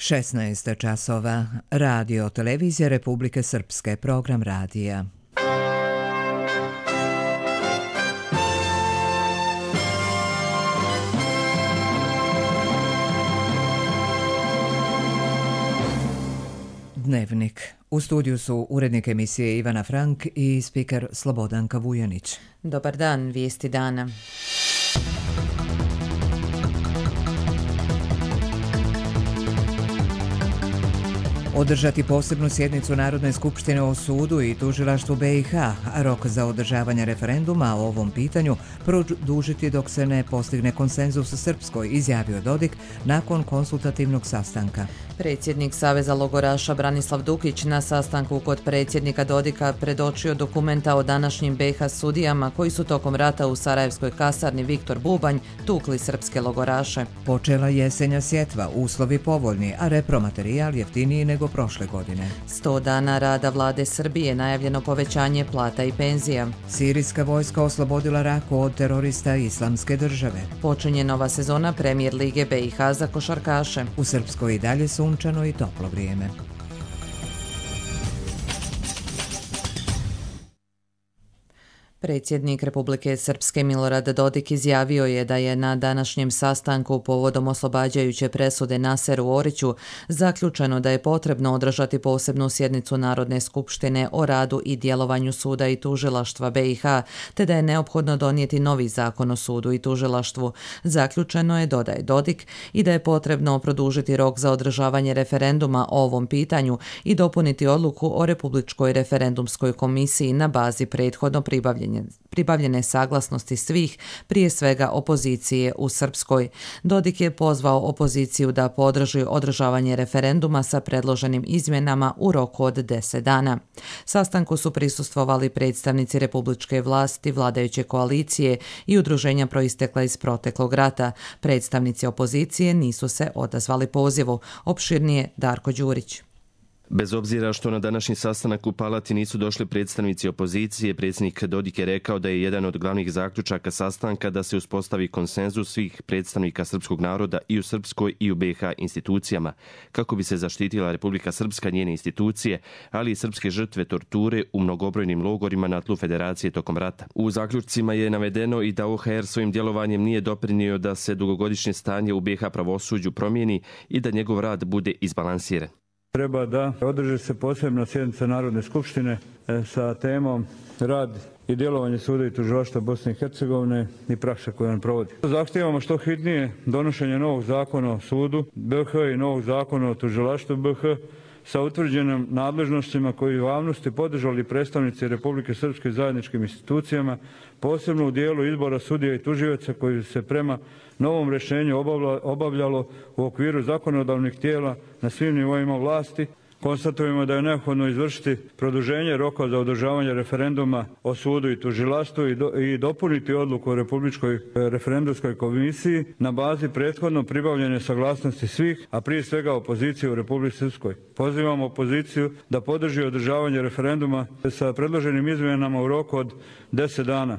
16 časova. Radio Televizija Republike Srpske, program radija. Dnevnik. U studiju su urednik emisije Ivana Frank i spiker Slobodanka Vujanić. Dobar dan, vijesti dana. Održati posebnu sjednicu Narodne skupštine o sudu i tužilaštvu BiH, a rok za održavanje referenduma o ovom pitanju produžiti dok se ne postigne konsenzus u Srpskoj, izjavio Dodik nakon konsultativnog sastanka. Predsjednik Saveza logoraša Branislav Dukić na sastanku kod predsjednika Dodika predočio dokumenta o današnjim BiH sudijama koji su tokom rata u Sarajevskoj kasarni Viktor Bubanj tukli srpske logoraše. Počela jesenja sjetva, uslovi povoljni, a repromaterijal jeftiniji nego prošle godine. 100 dana rada vlade Srbije, najavljeno povećanje plata i penzija. Sirijska vojska oslobodila Raku od terorista Islamske države. Počinje nova sezona Premijer lige BiH za košarkaše. U Srpskoj i dalje sunčano i toplo vrijeme. Predsjednik Republike Srpske Milorad Dodik izjavio je da je na današnjem sastanku povodom oslobađajuće presude Naseru Oriću zaključeno da je potrebno održati posebnu sjednicu Narodne skupštine o radu i djelovanju suda i tužilaštva BiH, te da je neophodno donijeti novi zakon o sudu i tužilaštvu. Zaključeno je, dodaje Dodik, i da je potrebno produžiti rok za održavanje referenduma o ovom pitanju i dopuniti odluku o Republičkoj referendumskoj komisiji na bazi prethodno pribavljene saglasnosti svih, prije svega opozicije u Srpskoj. Dodik je pozvao opoziciju da podrži održavanje referenduma sa predloženim izmjenama u roku od 10 dana. Sastanku su prisustvovali predstavnici republičke vlasti, vladajuće koalicije i udruženja proistekla iz proteklog rata. Predstavnici opozicije nisu se odazvali pozivu. Opširnije Darko Đurić. Bez obzira što na današnji sastanak u Palati nisu došli predstavnici opozicije, predsjednik Dodik je rekao da je jedan od glavnih zaključaka sastanka da se uspostavi konsenzus svih predstavnika srpskog naroda i u Srpskoj i u BiH institucijama, kako bi se zaštitila Republika Srpska, njene institucije, ali i srpske žrtve torture u mnogobrojnim logorima na tlu Federacije tokom rata. U zaključcima je navedeno i da OHR svojim djelovanjem nije doprinio da se dugogodišnje stanje u BiH pravosuđu promijeni i da njegov rad bude izbalansiran. Treba da održi se posebna sjednica Narodne skupštine sa temom rad i djelovanje suda i tužilaštva Bosne i Hercegovine i praksa koju on provodi. Zahtijevamo što hitnije donošenje novog zakona o sudu BiH i novog zakona o tužilaštvu BiH sa utvrđenim nadležnostima koji u javnosti podržali predstavnici Republike Srpske zajedničkim institucijama, posebno u dijelu izbora sudija i tužioca koji se prema novom rješenju obavljalo u okviru zakonodavnih tijela na svim nivoima vlasti. Konstatujemo da je neophodno izvršiti produženje roka za održavanje referenduma o sudu i tužilaštvu i dopuniti odluku o Republičkoj referendumskoj komisiji na bazi prethodno pribavljene saglasnosti svih, a prije svega opozicije u Republici Srpskoj. Pozivamo opoziciju da podrži održavanje referenduma sa predloženim izmjenama u roku od 10 dana.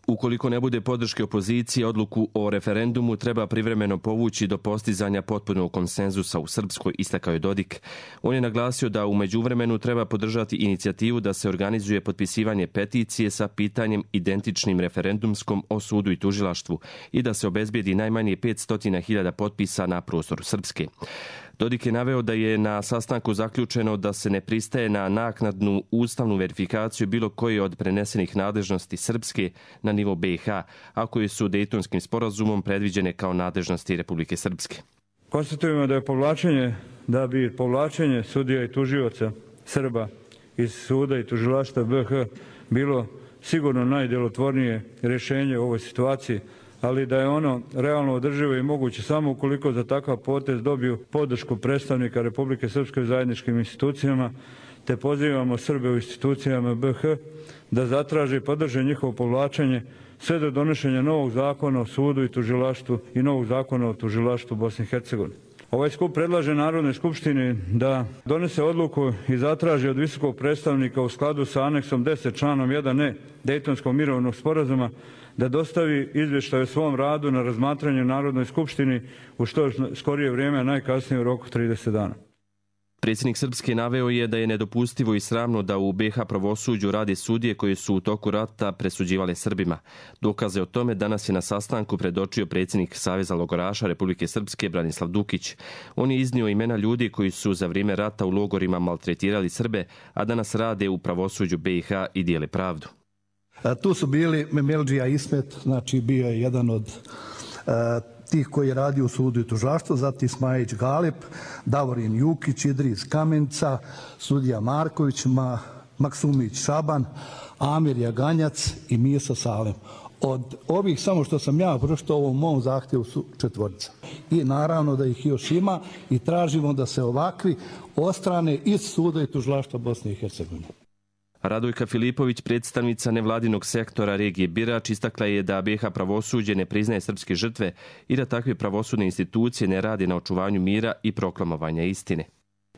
Ukoliko ne bude podrške opozicije, odluku o referendumu treba privremeno povući do postizanja potpunog konsenzusa u Srpskoj, istakao je Dodik. On je naglasio da u međuvremenu treba podržati inicijativu da se organizuje potpisivanje peticije sa pitanjem identičnim referendumskom o sudu i tužilaštvu i da se obezbijedi najmanje 500.000 potpisa na prostoru Srpske. Dodik je naveo da je na sastanku zaključeno da se ne pristaje na naknadnu ustavnu verifikaciju bilo koje od prenesenih nadležnosti Srpske na nivo BiH, a koje su Dejtonskim sporazumom predviđene kao nadležnosti Republike Srpske. Konstatujemo da bi povlačenje sudija i tužioca Srba iz suda i tužilaštva BiH bilo sigurno najdjelotvornije rješenje u ovoj situaciji, ali da je ono realno održivo i moguće samo ukoliko za takav potez dobiju podršku predstavnika Republike Srpske u zajedničkim institucijama, te pozivamo Srbe u institucijama BiH da zatraže i podrže njihovo povlačenje sve do donošenja novog zakona o sudu i tužilaštvu i novog zakona o tužilaštvu Bosne i Hercegovine. Ovaj skup predlaže Narodnoj skupštini da donese odluku i zatraži od visokog predstavnika u skladu sa aneksom 10 članom 1e Dejtonskog mirovnog sporazuma da dostavi izvještaj o svom radu na razmatranje Narodnoj skupštini u što skorije vrijeme, a najkasnije u roku 30 dana. Predsjednik Srpske naveo je da je nedopustivo i sramno da u BiH pravosuđu rade sudije koji su u toku rata presuđivale Srbima. Dokaze o tome danas je na sastanku predočio predsjednik Saveza logoraša Republike Srpske Branislav Dukić. On je iznio imena ljudi koji su za vrijeme rata u logorima maltretirali Srbe, a danas rade u pravosuđu BiH i dijele pravdu. Tu su bili Memeldžija Ismet, znači bio je jedan od tih koji je radio u sudu i tužilaštvu, zatim Smajić Galip, Davorin Jukić, Idris Kamenca, sudija Marković, Maksumić Šaban, Amir Jaganjac i Misa Salem. Od ovih samo što sam ja pročitao u ovom mom zahtjevu su 4. I naravno da ih još ima i tražimo da se ovakvi odstrane iz suda i tužilaštva Bosne i Hercegovine. Radojka Filipović, predstavnica nevladinog sektora regije Birač, istakla je da BiH pravosuđe ne priznaje srpske žrtve i da takve pravosudne institucije ne rade na očuvanju mira i proklamovanja istine.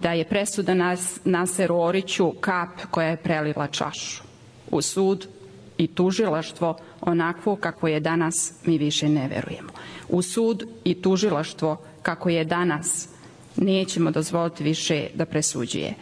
Da je presuda Naseru Oriću kap koja je prelila čašu. U sud i tužilaštvo onakvo kako je danas mi više ne verujemo. U sud i tužilaštvo kako je danas nećemo dozvoliti više da presuđuje.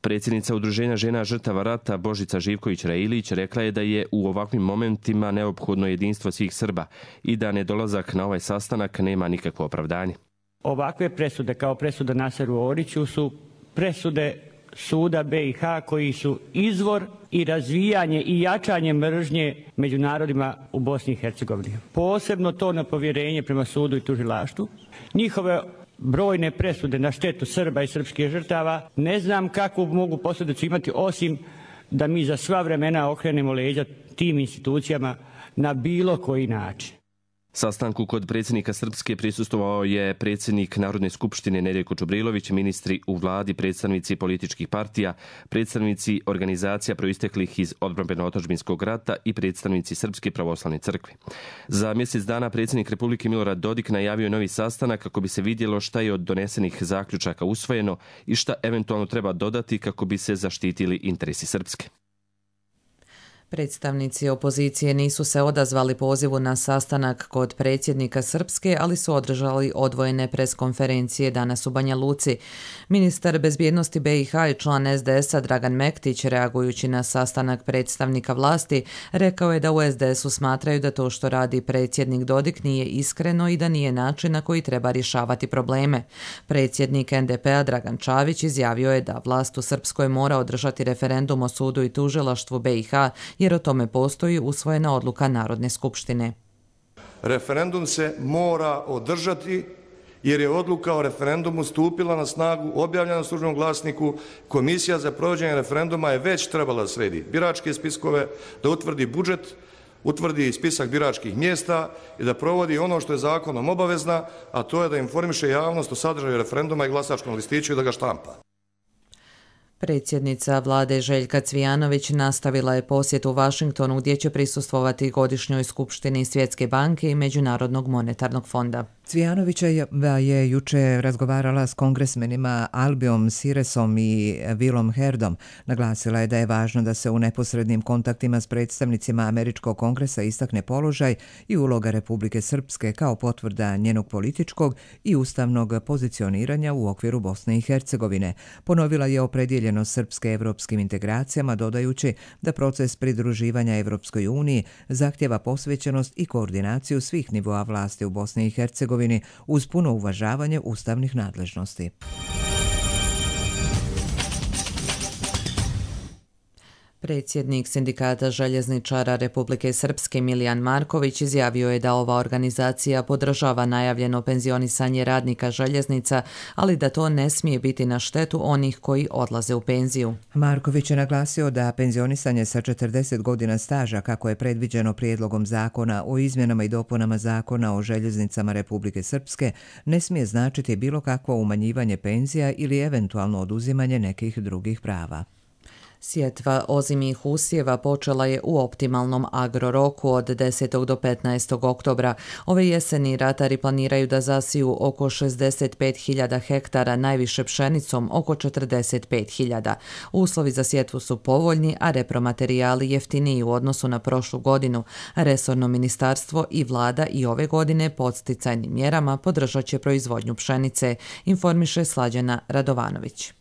Predsjednica Udruženja žena žrtava rata Božica Živković-Railić rekla je da je u ovakvim momentima neophodno jedinstvo svih Srba i da nedolazak na ovaj sastanak nema nikakvo opravdanje. Ovakve presude kao presuda Naseru Oriću su presude suda BiH koji su izvor i razvijanje i jačanje mržnje među narodima u Bosni i Hercegovini. Posebno to na povjerenje prema sudu i tužilaštvu. Njihove brojne presude na štetu Srba i srpskih žrtava ne znam kakvu mogu posljedicu imati osim da mi za sva vremena okrenemo leđa tim institucijama na bilo koji način. Sastanku kod predsjednika Srpske prisustvovao je predsjednik Narodne skupštine Nedjeljko Čubrilović, ministri u vladi, predstavnici političkih partija, predstavnici organizacija proisteklih iz odbrambeno-otadžbinskog rata i predstavnici Srpske pravoslavne crkve. Za mjesec dana predsjednik Republike Milorad Dodik najavio je novi sastanak kako bi se vidjelo šta je od donesenih zaključaka usvojeno i šta eventualno treba dodati kako bi se zaštitili interesi Srpske. Predstavnici opozicije nisu se odazvali pozivu na sastanak kod predsjednika Srpske, ali su održali odvojene preskonferencije danas u Banja Luci. Ministar bezbjednosti BiH i član SDS-a Dragan Mektić, reagujući na sastanak predstavnika vlasti, rekao je da u SDS-u smatraju da to što radi predsjednik Dodik nije iskreno i da nije način na koji treba rješavati probleme. Predsjednik NDP-a Dragan Čavić izjavio je da vlast u Srpskoj mora održati referendum o sudu i tužilaštvu BiH, jer o tome postoji usvojena odluka Narodne skupštine. Referendum se mora održati jer je odluka o referendumu stupila na snagu, objavljena u Službenom glasniku. Komisija za provođenje referenduma je već trebala da sredi biračke spiskove, da utvrdi budžet, utvrdi spisak biračkih mjesta i da provodi ono što je zakonom obavezna, a to je da informiše javnost o sadržaju referenduma i glasačkom listiću i da ga štampa. Predsjednica vlade Željka Cvijanović nastavila je posjet u Vašingtonu gdje će prisustvovati godišnjoj skupštini Svjetske banke i Međunarodnog monetarnog fonda. Cvijanovića je juče razgovarala s kongresmenima Albijom Siresom i Willom Herdom. Naglasila je da je važno da se u neposrednim kontaktima s predstavnicima Američkog kongresa istakne položaj i uloga Republike Srpske kao potvrda njenog političkog i ustavnog pozicioniranja u okviru Bosne i Hercegovine. Ponovila je opredjeljenost Srpske evropskim integracijama, dodajući da proces pridruživanja Evropskoj uniji zahtjeva posvećenost i koordinaciju svih nivoa vlasti u Bosni i Hercegovini uz puno uvažavanje ustavnih nadležnosti. Predsjednik Sindikata željezničara Republike Srpske Milijan Marković izjavio je da ova organizacija podržava najavljeno penzionisanje radnika željeznica, ali da to ne smije biti na štetu onih koji odlaze u penziju. Marković je naglasio da penzionisanje sa 40 godina staža, kako je predviđeno prijedlogom zakona o izmjenama i dopunama zakona o željeznicama Republike Srpske, ne smije značiti bilo kakvo umanjivanje penzija ili eventualno oduzimanje nekih drugih prava. Sjetva ozimih usjeva počela je u optimalnom agroroku od 10. do 15. oktobra. Ove jeseni ratari planiraju da zasiju oko 65.000 hektara, najviše pšenicom oko 45.000. Uslovi za sjetvu su povoljni, a repromaterijali jeftiniji u odnosu na prošlu godinu. Resorno ministarstvo i vlada i ove godine podsticajnim mjerama podržat će proizvodnju pšenice, informiše Slađana Radovanović.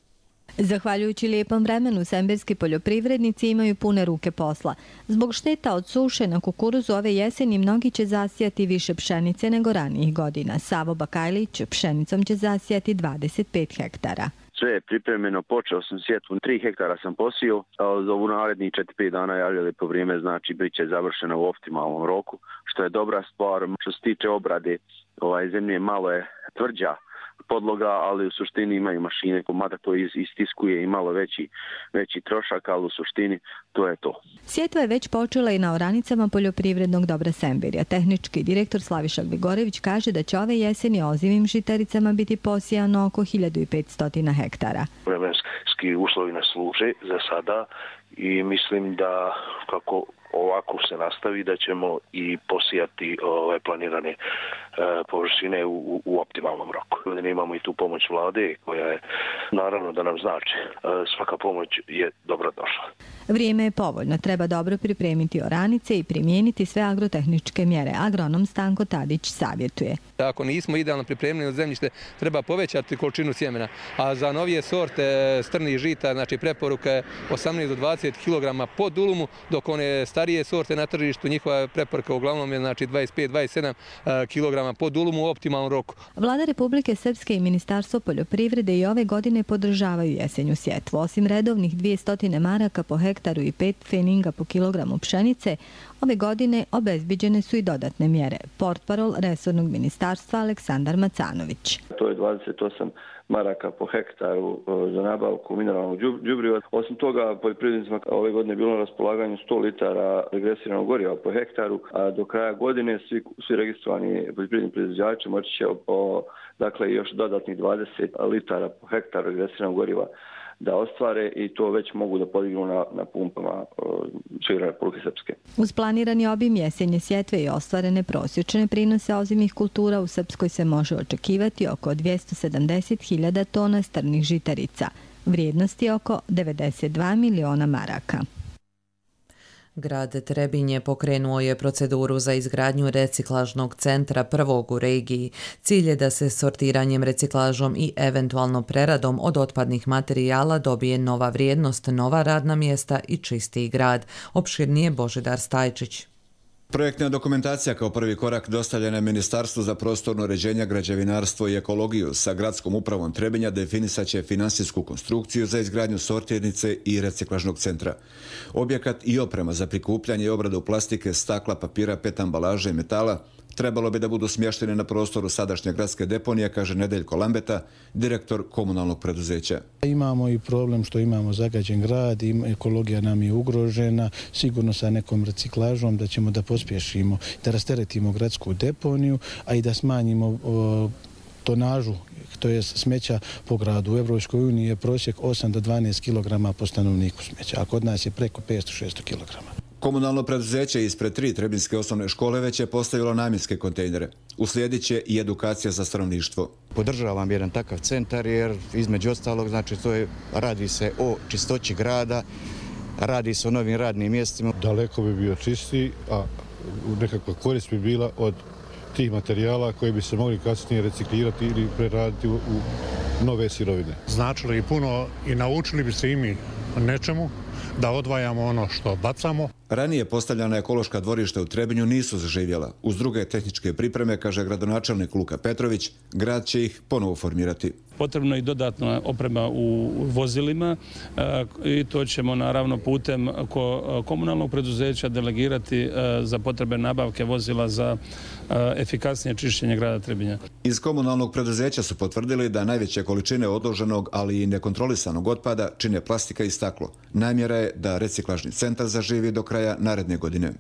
Zahvaljujući lijepom vremenu, semberski poljoprivrednici imaju pune ruke posla. Zbog šteta od suše na kukuruzu ove jeseni mnogi će zasijati više pšenice nego ranijih godina. Savo Bakajlić pšenicom će zasijati 25 hektara. Sve je pripremljeno, počeo sam sjetvu, 3 hektara sam posio, a za ovu narednih 4-5 dana javljali po vrijeme, znači bit će završeno u optimalnom roku, što je dobra stvar. Što se tiče obrade, zemlje malo je tvrđa podloga, ali u suštini imaju mašine, mada to istiskuje i malo veći trošak, ali u suštini to je to. Sjetva je već počela i na oranicama poljoprivrednog dobra Semberija. Tehnički direktor Slaviša Gvigorević kaže da će ove jeseni ozimim žitaricama biti posijano oko 1500 hektara. Vremenski uslovi nas služe za sada i mislim da kako ovako se nastavi da ćemo i posijati ove planirane površine u optimalnom roku. Ovdje imamo i tu pomoć vlade koja je naravno da nam znači. Svaka pomoć je dobro došla. Vrijeme je povoljno, treba dobro pripremiti oranice i primijeniti sve agrotehničke mjere. Agronom Stanko Tadić savjetuje. Ako nismo idealno pripremljeni zemljište, treba povećati količinu sjemena, a za novije sorte strnih žita, znači preporuka je 18 do 20 kg po dulumu, dok one starije sorte na tržištu, njihova preporuka uglavnom je znači 25-27 kg po dulumu u optimalnom roku. Vlada Republike Srpske i Ministarstvo poljoprivrede i ove godine podržavaju jesenju sjetvu. Osim redovnih 200 maraka po hektaru i 5 pfeninga po kilogramu pšenice, ove godine obezbiđene su i dodatne mjere. Portparol resornog ministarstva Aleksandar Macanović. To je 28 maraka po hektaru za nabavku mineralnog đubriva. Osim toga, poljoprivrednicima ove godine je bilo na raspolaganju 100 litara regresiranog goriva po hektaru, a do kraja godine svi registrovani poljoprivredni proizvođači moći će dakle još dodatnih 20 litara po hektaru regresiranog goriva da ostvare i to već mogu da podignu na pumpama širom Republike Srpske. Uz planirani obim jesenje sjetve i ostvarene prosječne prinose ozimih kultura u Srpskoj se može očekivati oko 270.000 tona strnih žitarica. Vrijednost je oko 92 miliona maraka. Grad Trebinje pokrenuo je proceduru za izgradnju reciklažnog centra prvog u regiji. Cilj je da se sortiranjem, reciklažom i eventualno preradom od otpadnih materijala dobije nova vrijednost, nova radna mjesta i čistiji grad. Opširnije Božidar Stajčić. Projektna dokumentacija kao prvi korak dostavljena je Ministarstvu za prostorno uređenje, građevinarstvo i ekologiju. Sa gradskom upravom Trebinja definisat će finansijsku konstrukciju za izgradnju sortirnice i reciklažnog centra. Objekat i oprema za prikupljanje i obradu plastike, stakla, papira, PET ambalaže i metala trebalo bi da budu smješteni na prostoru sadašnje gradske deponije, kaže Nedeljko Lambeta, direktor komunalnog preduzeća. Imamo i problem što imamo zagađen grad, ekologija nam je ugrožena, sigurno sa nekom reciklažom da ćemo da pospješimo, da rasteretimo gradsku deponiju, a i da smanjimo tonažu, to je smeća po gradu. U Evropskoj uniji je prosjek 8 do 12 kg po stanovniku smeća, a kod nas je preko 500-600 kg. Komunalno preduzeće ispred 3 trebinske osnovne škole već je postavilo namjenske kontejnere. Uslijedit će i edukacija za stanovništvo. Podržavam jedan takav centar jer između ostalog znači radi se o čistoći grada, radi se o novim radnim mjestima. Daleko bi bio čistiji, a nekakva korist bi bila od tih materijala koji bi se mogli kasnije reciklirati ili preraditi u nove sirovine. Značilo i puno i naučili bi se i mi nečemu, da odvajamo ono što bacamo. Ranije postavljana ekološka dvorišta u Trebinju nisu zaživjela. Uz druge tehničke pripreme, kaže gradonačelnik Luka Petrović, grad će ih ponovo formirati. Potrebno je i dodatna oprema u vozilima i to ćemo naravno putem komunalnog preduzeća delegirati za potrebe nabavke vozila za efikasnije čišćenje grada Trebinja. Iz komunalnog preduzeća su potvrdili da najveće količine odloženog, ali i nekontrolisanog otpada čine plastika i staklo. Namjera je da reciklažni centar zaživi do kraja naredne godine.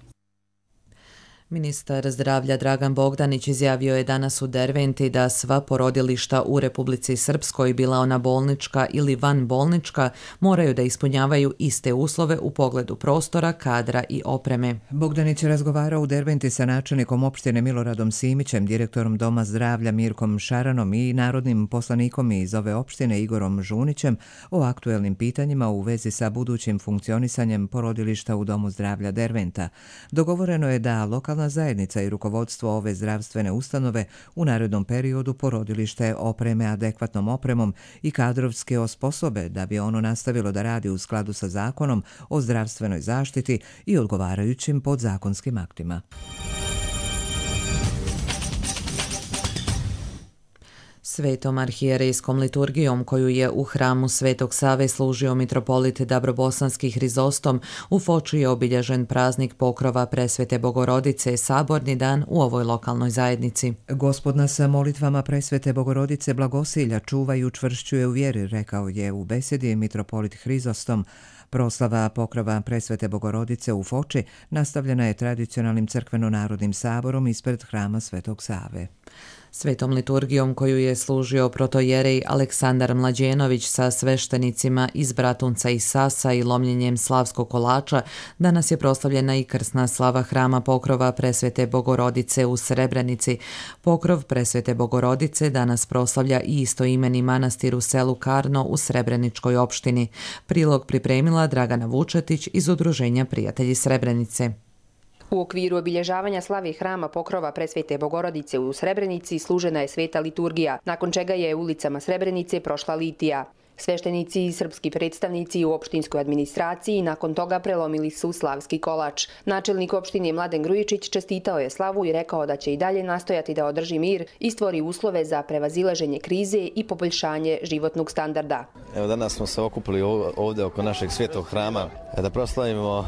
Ministar zdravlja Dragan Bogdanić izjavio je danas u Derventi da sva porodilišta u Republici Srpskoj, bila ona bolnička ili vanbolnička, moraju da ispunjavaju iste uslove u pogledu prostora, kadra i opreme. Bogdanić je razgovarao u Derventi sa načelnikom opštine Miloradom Simićem, direktorom Doma zdravlja Mirkom Šaranom i narodnim poslanikom iz ove opštine Igorom Žunićem o aktuelnim pitanjima u vezi sa budućim funkcionisanjem porodilišta u Domu zdravlja Derventa. Dogovoreno je da lokalna zajednica i rukovodstvo ove zdravstvene ustanove u narednom periodu porodilište opreme adekvatnom opremom i kadrovski osposobe da bi ono nastavilo da radi u skladu sa zakonom o zdravstvenoj zaštiti i odgovarajućim podzakonskim aktima. Svetom arhijerejskom liturgijom koju je u hramu Svetog Save služio mitropolit Dabrobosanski Hrizostom, u Foči je obilježen praznik pokrova Presvete Bogorodice, saborni dan u ovoj lokalnoj zajednici. Gospod nas molitvama Presvete Bogorodice blagosilja, čuva i učvršćuje u vjeri, rekao je u besedi mitropolit Hrizostom. Proslava pokrova Presvete Bogorodice u Foči nastavljena je tradicionalnim crkveno-narodnim saborom ispred hrama Svetog Save. Svetom liturgijom koju je služio protojerej Aleksandar Mlađenović sa sveštenicima iz Bratunca i Sasa i lomljenjem slavskog kolača, danas je proslavljena i krsna slava hrama pokrova Presvete Bogorodice u Srebrenici. Pokrov Presvete Bogorodice danas proslavlja i istoimeni manastir u selu Karno u Srebreničkoj opštini. Prilog pripremila Dragana Vučetić iz Udruženja Prijatelji Srebrenice. U okviru obilježavanja slave hrama pokrova Presvete Bogorodice u Srebrenici služena je sveta liturgija, nakon čega je ulicama Srebrenice prošla litija. Sveštenici i srpski predstavnici u opštinskoj administraciji nakon toga prelomili su slavski kolač. Načelnik opštine Mladen Grujičić čestitao je slavu i rekao da će i dalje nastojati da održi mir i stvori uslove za prevazilaženje krize i poboljšanje životnog standarda. Evo, danas smo se okupili ovdje oko našeg svetog hrama da proslavimo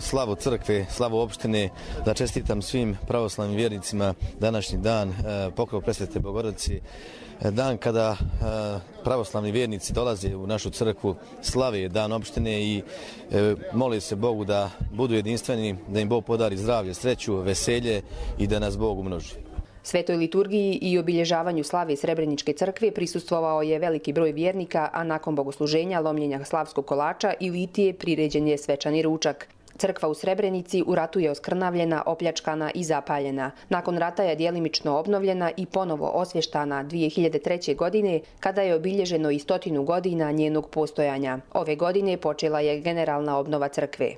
slavu crkve, slavu opštine, da čestitam svim pravoslavnim vjernicima današnji dan pokrov Presvete Bogorodice. Dan kada pravoslavni vjernici dolaze u našu crkvu, slave dan opštine i moli se Bogu da budu jedinstveni, da im Bog podari zdravlje, sreću, veselje i da nas Bog umnoži. Svetoj liturgiji i obilježavanju slave Srebreničke crkve prisustvovao je veliki broj vjernika, a nakon bogosluženja, lomljenja slavskog kolača i litije priređen je svečani ručak. Crkva u Srebrenici u ratu je oskrnavljena, opljačkana i zapaljena. Nakon rata je djelimično obnovljena i ponovo osvještana 2003. godine, kada je obilježeno i 100 godina njenog postojanja. Ove godine počela je generalna obnova crkve.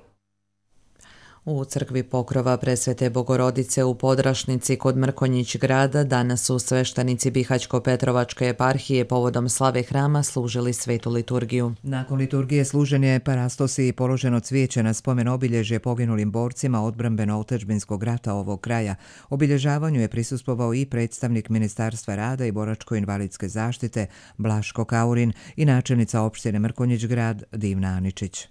U crkvi pokrova Presvete Bogorodice u Podrašnici kod Mrkonjić grada danas su sveštenici Bihaćko-Petrovačke eparhije povodom slave hrama služili svetu liturgiju. Nakon liturgije služen je parastosi i položeno cvijeće na spomen obilježje poginulim borcima odbrambeno-otadžbinskog rata ovog kraja. Obilježavanju je prisustvovao i predstavnik Ministarstva rada i boračko-invalidske zaštite Blaško Kaurin i načelnica opštine Mrkonjić grad Divna Aničić.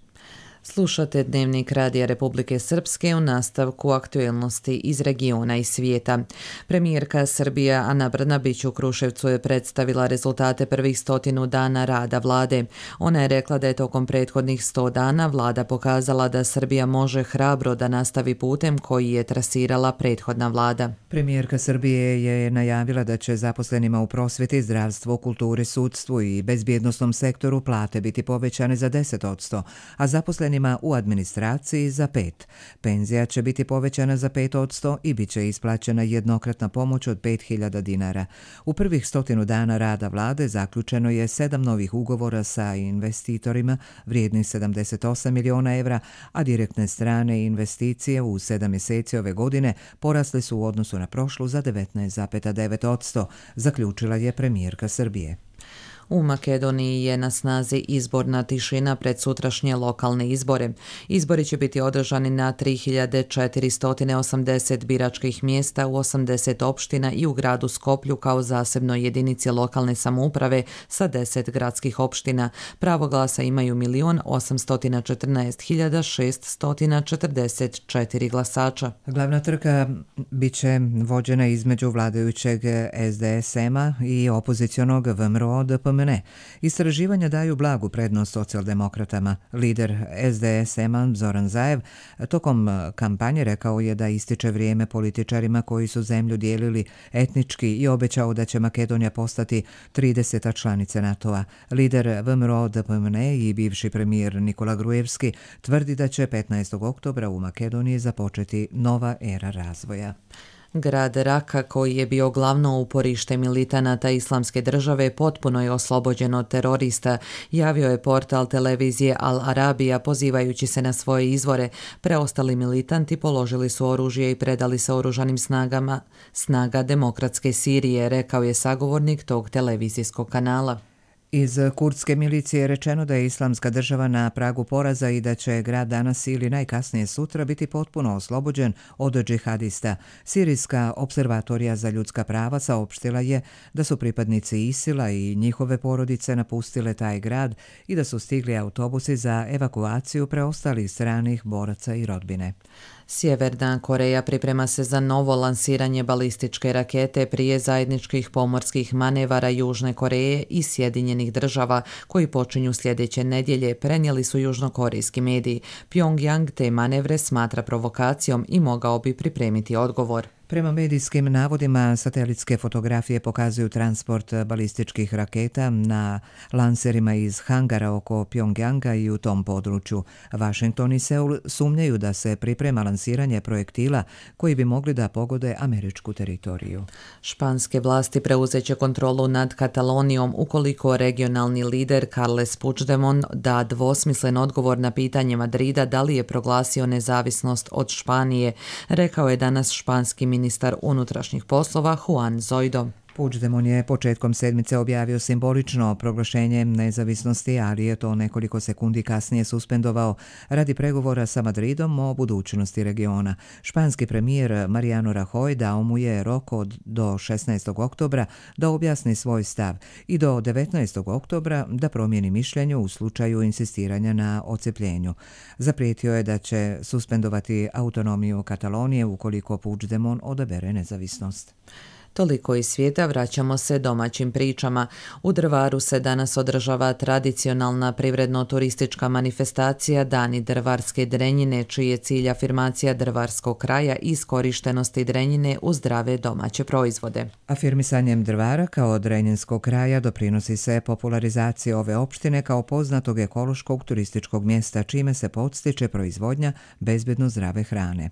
Slušate Dnevnik Radija Republike Srpske u nastavku aktuelnosti iz regiona i svijeta. Premijerka Srbije Ana Brnabić u Kruševcu je predstavila rezultate prvih 100 dana rada vlade. Ona je rekla da je tokom prethodnih 100 dana vlada pokazala da Srbija može hrabro da nastavi putem koji je trasirala prethodna vlada. Premijerka Srbije je najavila da će zaposlenima u prosvjeti, zdravstvu, kulturi, sudstvu i bezbjednosnom sektoru plate biti povećane za 10%, a zaposlenima u administraciji za 5%. Penzija će biti povećana za 5% i bit će isplaćena jednokratna pomoć od 5.000 dinara. U prvih 100 dana rada vlade zaključeno je 7 novih ugovora sa investitorima vrijednih 78 miliona evra, a direktne strane investicije u 7 mjeseci ove godine porasle su u odnosu na prošlu za 19,9%, zaključila je premijerka Srbije. U Makedoniji je na snazi izborna tišina pred sutrašnje lokalne izbore. Izbori će biti održani na 3480 biračkih mjesta u 80 opština i u gradu Skoplju kao zasebnoj jedinici lokalne samouprave sa 10 gradskih opština. Pravo glasa imaju 1.814.644 glasača. Glavna trka biće vođena između vladajućeg SDSM-a i opozicionog VMRO-DPM DPMN. Istraživanja daju blagu prednost socijaldemokratama. Lider SDSM-a Zoran Zaev tokom kampanje rekao je da ističe vrijeme političarima koji su zemlju dijelili etnički i obećao da će Makedonija postati 30. članice NATO-a. Lider VMRO DPMN i bivši premijer Nikola Grujevski tvrdi da će 15. oktobra u Makedoniji započeti nova era razvoja. Grad Raka, koji je bio glavno uporište militanata Islamske države, potpuno je oslobođen od terorista, javio je portal televizije Al Arabija pozivajući se na svoje izvore. Preostali militanti položili su oružje i predali se oružanim snaga Demokratske Sirije, rekao je sagovornik tog televizijskog kanala. Iz kurdske milicije je rečeno da je Islamska država na pragu poraza i da će grad danas ili najkasnije sutra biti potpuno oslobođen od džihadista. Sirijska observatorija za ljudska prava saopštila je da su pripadnici ISIL-a i njihove porodice napustile taj grad i da su stigli autobusi za evakuaciju preostalih stranih boraca i rodbine. Sjeverna Koreja priprema se za novo lansiranje balističke rakete prije zajedničkih pomorskih manevara Južne Koreje i Sjedinjenih država koji počinju sljedeće nedjelje, prenijeli su južnokorejski mediji. Pyongyang te manevre smatra provokacijom i mogao bi pripremiti odgovor. Prema medijskim navodima, satelitske fotografije pokazuju transport balističkih raketa na lanserima iz hangara oko Pyongyanga i u tom području. Washington i Seul sumnjaju da se priprema lansiranje projektila koji bi mogli da pogode američku teritoriju. Španske vlasti preuzeće kontrolu nad Katalonijom ukoliko regionalni lider Carles Puigdemont da dvosmislen odgovor na pitanje Madrida da li je proglasio nezavisnost od Španije, rekao je danas španski ministar unutrašnjih poslova Juan Zoido. Puigdemont je početkom sedmice objavio simbolično proglašenje nezavisnosti, ali je to nekoliko sekundi kasnije suspendovao radi pregovora sa Madridom o budućnosti regiona. Španski premijer Mariano Rajoy dao mu je rok do 16. oktobra da objasni svoj stav i do 19. oktobra da promijeni mišljenje u slučaju insistiranja na odcepljenju. Zaprijetio je da će suspendovati autonomiju Katalonije ukoliko Puigdemont odabere nezavisnost. Toliko iz svijeta, vraćamo se domaćim pričama. U Drvaru se danas održava tradicionalna privredno-turistička manifestacija Dani drvarske drenjine, čiji je cilj afirmacija drvarskog kraja i iskorištenosti drenjine u zdrave domaće proizvode. Afirmisanjem Drvara kao drenjinskog kraja doprinosi se popularizaciji ove opštine kao poznatog ekološkog turističkog mjesta, čime se podstiče proizvodnja bezbedno zdrave hrane.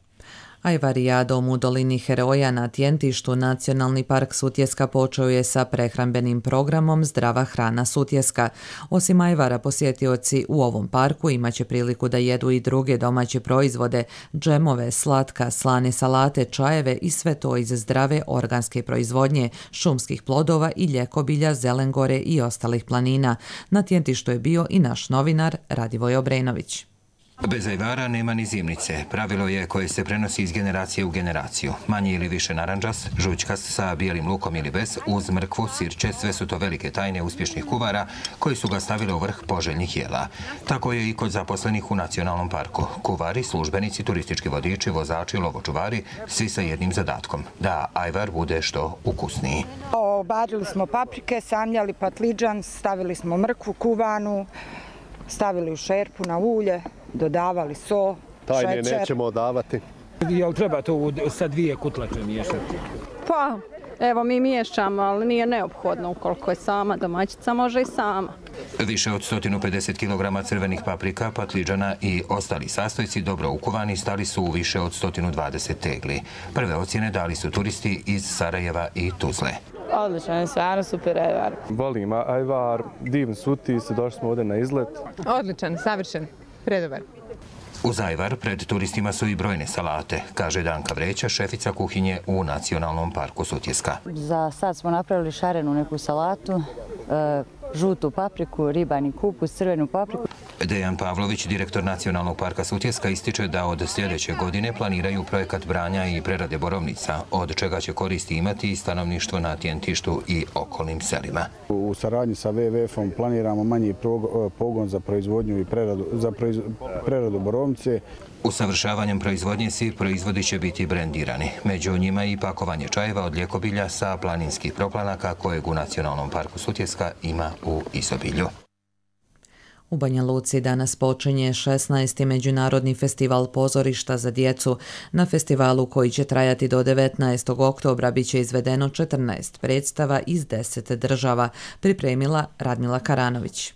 Ajvarijadom u dolini Heroja na Tjentištu Nacionalni park Sutjeska počeo je sa prehrambenim programom Zdrava hrana Sutjeska. Osim ajvara, posjetioci u ovom parku imaće priliku da jedu i druge domaće proizvode, džemove, slatka, slane salate, čajeve i sve to iz zdrave organske proizvodnje, šumskih plodova i ljekobilja, zelengore i ostalih planina. Na Tjentištu je bio i naš novinar Radivoj Obrenović. Bez ajvara nema ni zimnice. Pravilo je koje se prenosi iz generacije u generaciju. Manje ili više naranđast, žućkast sa bijelim lukom ili bez, uz mrkvu, sirće, sve su to velike tajne uspješnih kuvara koji su ga stavili u vrh poželjnih jela. Tako je i kod zaposlenih u nacionalnom parku. Kuvari, službenici, turistički vodiči, vozači, lovočuvari, svi sa jednim zadatkom, da ajvar bude što ukusniji. Obadili smo paprike, samljali patliđan, stavili smo mrkvu kuvanu, stavili u šerpu na ulje, dodavali so, tajne šećer. Nećemo davati. Jel treba to sa 2 kutlače miješati? Pa, evo mi miješamo, ali nije neophodno ukoliko je sama domaćica, može i sama. Više od 150 kg crvenih paprika, patliđana i ostali sastojci dobro ukuvani stali su u više od 120 tegli. Prve ocjene dali su turisti iz Sarajeva i Tuzle. Odličan je, stvarno super ajvar. Volim ajvar, divni su utisci, došli smo ovdje na izlet. Odličan, savršen, predobar. Uz ajvar pred turistima su i brojne salate, kaže Danka Vreća, šefica kuhinje u Nacionalnom parku Sutjeska. Za sad smo napravili šarenu neku salatu, žutu papriku, ribani kupus, crvenu papriku. Dejan Pavlović, direktor Nacionalnog parka Sutjeska, ističe da od sljedeće godine planiraju projekat branja i prerade borovnica, od čega će koristi imati i stanovništvo na Tjentištu i okolnim selima. U saradnji sa WWF-om planiramo manji pogon za proizvodnju i preradu borovnice. Usavršavanjem proizvodnje svi proizvodi će biti brendirani. Među njima i pakovanje čajeva od ljekobilja sa planinskih proplanaka kojeg u Nacionalnom parku Sutjeska ima u izobilju. U Banja Luci danas počinje 16. Međunarodni festival pozorišta za djecu. Na festivalu koji će trajati do 19. oktobra bit će izvedeno 14 predstava iz 10 država, pripremila Radmila Karanović.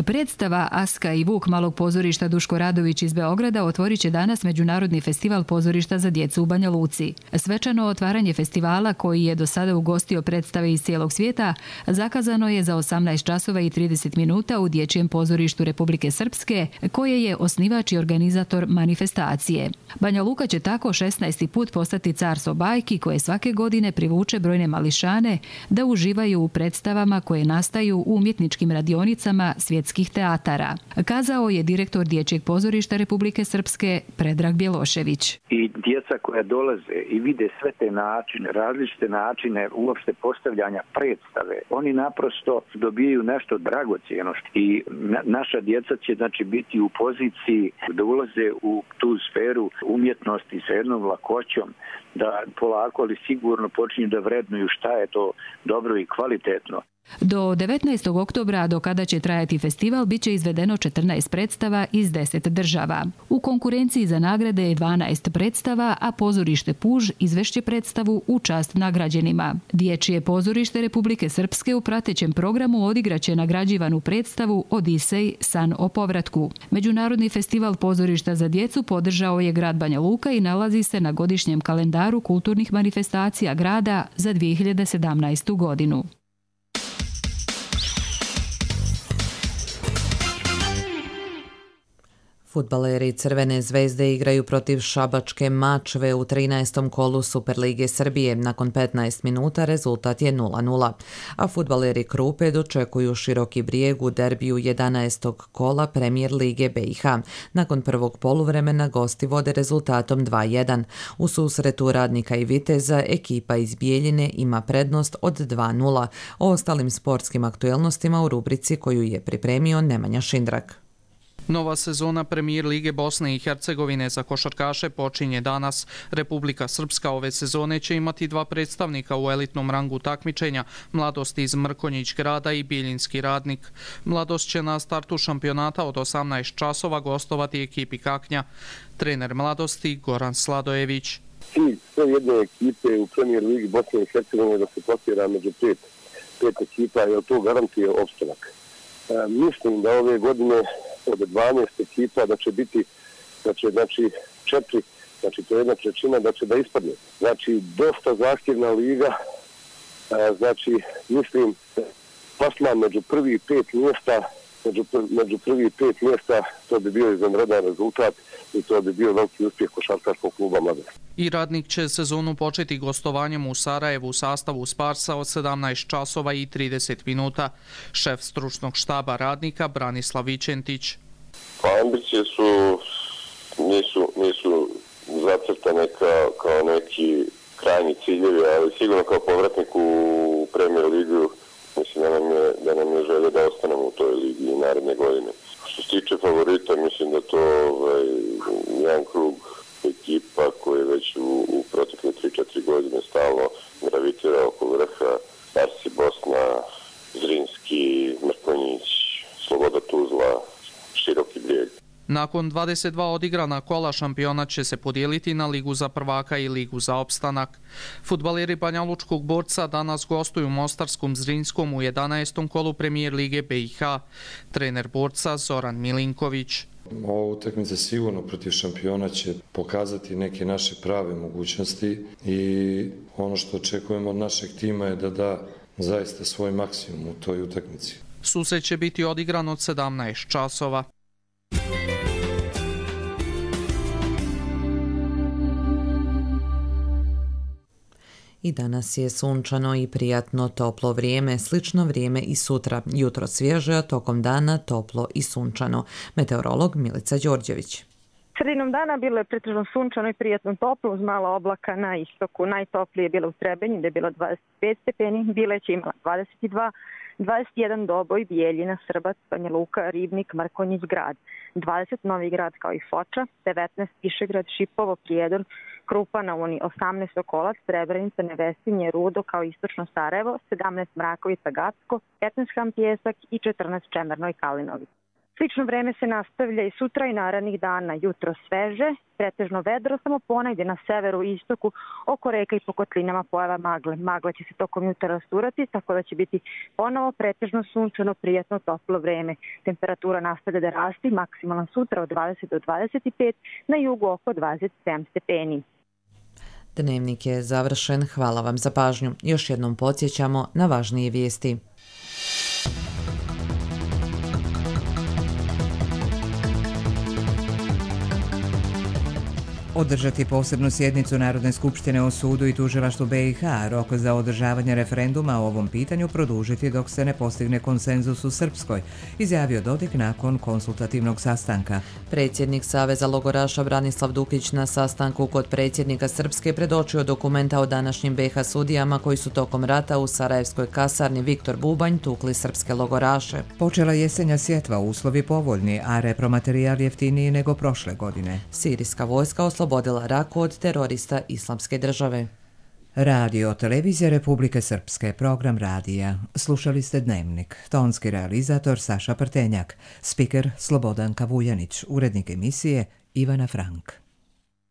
Predstava Aska i Vuk malog pozorišta Duško Radović iz Beograda otvorit će danas Međunarodni festival pozorišta za djecu u Banja Luci. Svečano otvaranje festivala, koji je do sada ugostio predstave iz cijelog svijeta, zakazano je za 18 časova i 30 minuta u Dječjem pozorištu Republike Srpske, koje je osnivač i organizator manifestacije. Banja Luka će tako 16. put postati carstvo bajki, koje svake godine privuče brojne mališane da uživaju u predstavama koje nastaju u umjetničkim radionicama svjetskih teatara, kazao je direktor Dječjeg pozorišta Republike Srpske Predrag Bjelošević. I djeca koja dolaze i vide sve te načine, različite načine uopšte postavljanja predstave, oni naprosto dobijaju nešto dragocjeno i naša djeca će znači biti u poziciji da ulaze u tu sferu umjetnosti sa jednom lakoćom, da polako ali sigurno počinju da vrednuju šta je to dobro i kvalitetno. Do 19. oktobra, do kada će trajati festival, bit će izvedeno 14 predstava iz 10 država. U konkurenciji za nagrade je 12 predstava, a pozorište Puž izvešće predstavu u čast nagrađenima. Dječje pozorište Republike Srpske u pratećem programu odigraće nagrađivanu predstavu Odisej, san o povratku. Međunarodni festival pozorišta za djecu podržao je grad Banja Luka i nalazi se na godišnjem kalendaru kulturnih manifestacija grada za 2017. godinu. Fudbaleri Crvene zvezde igraju protiv Šabačke Mačve u 13. kolu Superlige Srbije. Nakon 15 minuta rezultat je 0:0. A fudbaleri Krupe dočekuju Široki Brijeg u derbiju 11. kola Premijer Lige BiH. Nakon prvog poluvremena gosti vode rezultatom 2:1. U susretu Radnika i Viteza ekipa iz Bijeljine ima prednost od 2:0. O ostalim sportskim aktuelnostima u rubrici koju je pripremio Nemanja Šindrak. Nova sezona Premijer Lige Bosne i Hercegovine za košarkaše počinje danas. Republika Srpska ove sezone će imati 2 predstavnika u elitnom rangu takmičenja, Mladost iz Mrkonjić grada i Bijeljinski Radnik. Mladost će na startu šampionata od 18 časova gostovati ekipi Kaknja. Trener Mladosti Goran Sladojević. Cilj sve jedne ekipe u Premijer Ligi Bosne i Hercegovine da se plasira među pet ekipa, jer to garantuje opstanak. Mislim da ove godine od 12 ekipa da će biti, da će 4, znači to je 1/3 da će da ispadne. Znači dosta zahtjevna liga, znači mislim plasman među prvih 5 mjesta, među prvih 5 mjesta to bi bio izvanredan rezultat i to bi bio veliki uspjeh košarkaškog kluba Mladost. I Radnik će sezonu početi gostovanjem u Sarajevu u sastavu Sparsa od 17 časova i 30 minuta. Šef stručnog štaba Radnika Branislav Vičentić. Pa ambicije nisu zacrtane kao neki krajnji ciljevi, ali sigurno kao povratnik u Premier Ligu mislim da nam je želje da ostanemo u toj ligi i naredne godine. Što se tiče favorita, mislim da to jedan krug ekipa koji je već u protekle 3-4 godine stalno gravitira oko vrha. Arsi Bosna, Zrinski, Mrkonjić, Sloboda Tuzla, Široki Brijeg. Nakon 22 odigrana kola šampionat će se podijeliti na Ligu za prvaka i Ligu za opstanak. Fudbaleri Banjalučkog Borca danas gostuju Mostarskom Zrinskom u 11. kolu Premijer Lige BiH. Trener Borca Zoran Milinković. Ova utakmica sigurno protiv šampiona će pokazati neke naše prave mogućnosti i ono što očekujemo od našeg tima je da da zaista svoj maksimum u toj utakmici. Susret će biti odigran od 17 časova. I danas je sunčano i prijatno toplo vrijeme, slično vrijeme i sutra. Jutro svježe, a tokom dana toplo i sunčano. Meteorolog Milica Đorđević. Sredinom dana bilo je pretežno sunčano i prijatno toplo uz malo oblaka na istoku. Najtoplije je bilo u Trebinju gdje je bilo 25 stepeni, Bileće imala 22, 21 Doboj, Bijeljina, Srbac, Banja Luka, Ribnik, Mrkonjić Grad, 20 Novi Grad kao i Foča, 19 Višegrad, Šipovo, Prijedor, Krupa na Uni, 18 Sokolac, Srebrenica, Nevesinje, Rudo kao istočno Sarajevo, 17 Mrakovica, Gacko, 15 Ham Pjesak i 14 Čemerno i Kalinović. Slično vreme se nastavlja i sutra i narednih dana. Jutro sveže, pretežno vedro, samo ponegdje na severu i istoku oko reka i po kotlinama pojava magle. Magla će se tokom jutra rasturati, tako da će biti ponovo pretežno sunčano, prijatno, toplo vreme. Temperatura nastavlja da rasti, maksimalna sutra od 20 do 25, na jugu oko 27 stepeni. Dnevnik je završen. Hvala vam za pažnju. Još jednom podsjećamo na važnije vijesti. Održati posebnu sjednicu Narodne skupštine o sudu i tužilaštvu BiH, rok za održavanje referenduma o ovom pitanju produžiti dok se ne postigne konsenzus u Srpskoj, izjavio Dodik nakon konsultativnog sastanka. Predsjednik Saveza logoraša Branislav Dukić na sastanku kod predsjednika Srpske predočio dokumenta o današnjim BiH sudijama koji su tokom rata u Sarajevskoj kasarni Viktor Bubanj tukli srpske logoraše. Počela jesenja sjetva, uslovi povoljni, a repromaterijal jeftiniji nego prošle godine. Sirijska vojska oslobodila Raku od terorista Islamske države. Radio Televizija Republike Srpske, program radija. Slušali ste Dnevnik. Tonski realizator Saša Prtenjak, spiker Slobodan Kavuljanić, urednik emisije Ivana Frank.